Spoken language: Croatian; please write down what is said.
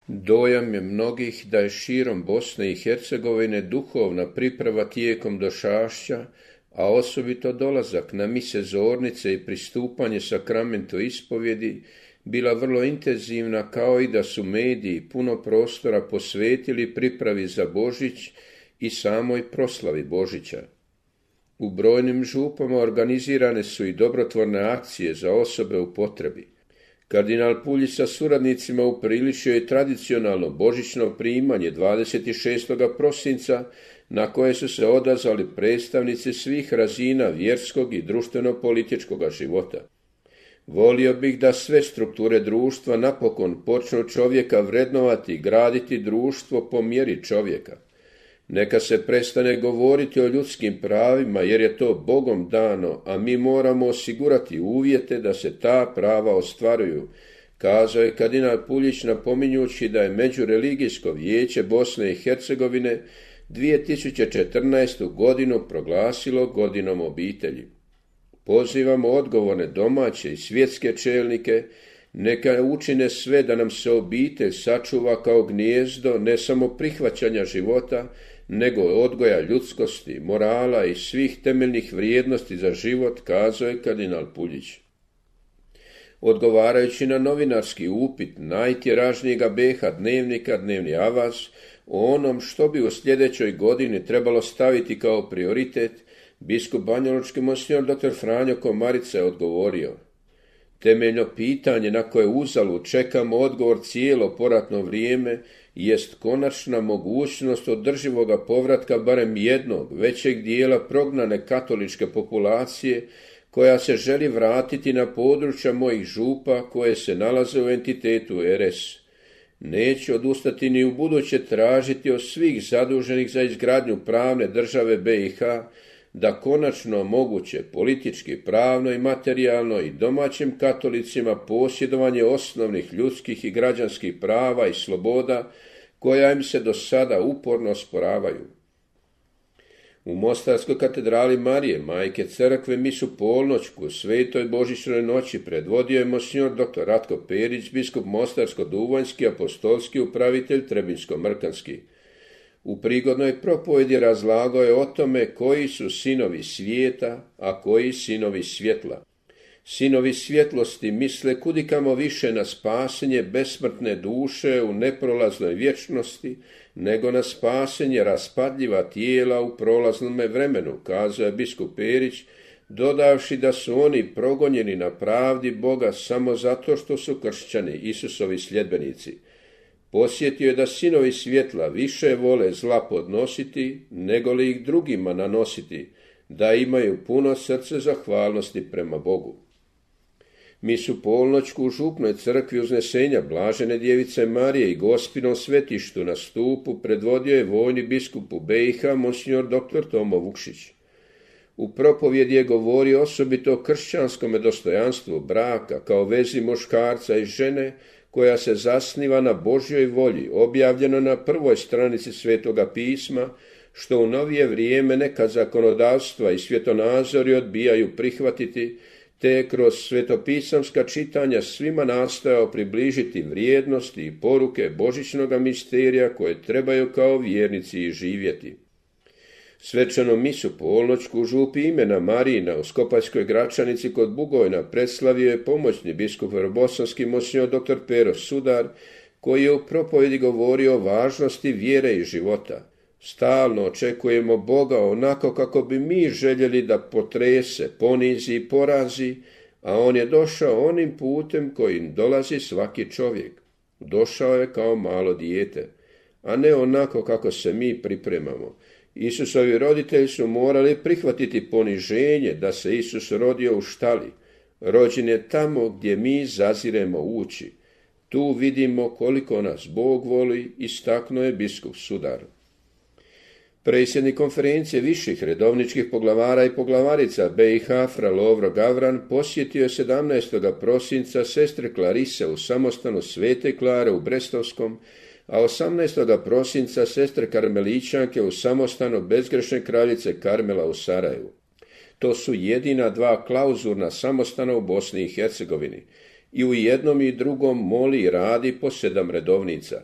Dojam je mnogih da je širom Bosne i Hercegovine duhovna priprava tijekom došašća, a osobito dolazak na mise zornice i pristupanje sakramentu ispovjedi bila vrlo intenzivna, kao i da su mediji puno prostora posvetili pripravi za Božić i samoj proslavi Božića. U brojnim župama organizirane su i dobrotvorne akcije za osobe u potrebi. Kardinal Puljić sa suradnicima upriličio je tradicionalno božićno primanje 26. prosinca, na koje su se odazvali predstavnici svih razina vjerskog i društveno-političkog života. Volio bih da sve strukture društva napokon počnu čovjeka vrednovati i graditi društvo po mjeri čovjeka. Neka se prestane govoriti o ljudskim pravima, jer je to Bogom dano, a mi moramo osigurati uvjete da se ta prava ostvaruju, kazao je kardinal Puljić, napominjući da je Međureligijsko vijeće Bosne i Hercegovine 2014. godinu proglasilo godinom obitelji. Pozivamo odgovorne domaće i svjetske čelnike, neka učine sve da nam se obitelj sačuva kao gnijezdo ne samo prihvaćanja života, nego odgoja ljudskosti, morala i svih temeljnih vrijednosti za život, kazao je kardinal Puljić. Odgovarajući na novinarski upit najtiražnijega BiH dnevnika Dnevni avaz o onom što bi u sljedećoj godini trebalo staviti kao prioritet, biskup banjalučki monsignor dr. Franjo Komarica je odgovorio: temeljno pitanje na koje uzalud čekamo odgovor cijelo poratno vrijeme jest konačna mogućnost održivoga povratka barem jednog većeg dijela prognane katoličke populacije koja se želi vratiti na područja mojih župa koje se nalaze u entitetu RS. Neću odustati ni u buduće tražiti od svih zaduženih za izgradnju pravne države BiH da konačno moguće politički, pravno i materijalno i domaćim katolicima posjedovanje osnovnih ljudskih i građanskih prava i sloboda koja im se do sada uporno osporavaju. U Mostarskoj katedrali Marije, majke crkve, misu polnoćku u svetoj božićnoj noći predvodio je monsignor dr. Ratko Perić, biskup Mostarsko-Duvanjski, apostolski upravitelj Trebinsko-Mrkanski. U prigodnoj propovjedi razlagao je o tome koji su sinovi svijeta, a koji sinovi svjetla. Sinovi svjetlosti misle kudikamo više na spasenje besmrtne duše u neprolaznoj vječnosti, nego na spasenje raspadljiva tijela u prolaznome vremenu, kazao je biskup Perić, dodavši da su oni progonjeni na pravdi Boga samo zato što su kršćani, Isusovi sljedbenici. Posjetio je da sinovi svjetla više vole zla podnositi, nego li ih drugima nanositi, da imaju puno srce zahvalnosti prema Bogu. Misu polnoćku u župnoj crkvi Uznesenja Blažene djevice Marije i Gospinom svetištu na stupu predvodio je vojni biskup u BiH monsignor dr. Tomo Vukšić. U propovjedi je govorio osobito o kršćanskome dostojanstvu braka kao vezi muškarca i žene koja se zasniva na Božjoj volji, objavljeno na prvoj stranici Svetoga pisma, što u novije vrijeme neka zakonodavstva i svjetonazori odbijaju prihvatiti, te je kroz svetopisamska čitanja svima nastojao približiti vrijednosti i poruke božićnoga misterija koje trebaju kao vjernici i živjeti. Svečanu misu polnoćku u župi imena Marina u Skopaljskoj Gračanici kod Bugojna predslavio je pomoćni biskup bosanski monsignor dr. Pero Sudar, koji je u propovjedi govorio o važnosti vjere i života. Stalno očekujemo Boga onako kako bi mi željeli da potrese, ponizi i porazi, a on je došao onim putem kojim dolazi svaki čovjek. Došao je kao malo dijete, a ne onako kako se mi pripremamo. Isusovi roditelji su morali prihvatiti poniženje da se Isus rodio u štali. Rođen je tamo gdje mi zaziremo ući. Tu vidimo koliko nas Bog voli, istaknuo je biskup Sudar. Predsjednik konferencije viših redovničkih poglavara i poglavarica BiH fra Lovro Gavran posjetio je 17. prosinca sestre Klarise u samostanu Svete Klare u Brestovskom, a 18. prosinca sestre Karmelićanke u samostanu Bezgrešne kraljice Karmela u Sarajevu. To su jedina dva klauzurna samostana u Bosni i Hercegovini. I u jednom i drugom moli i radi po 7 redovnica.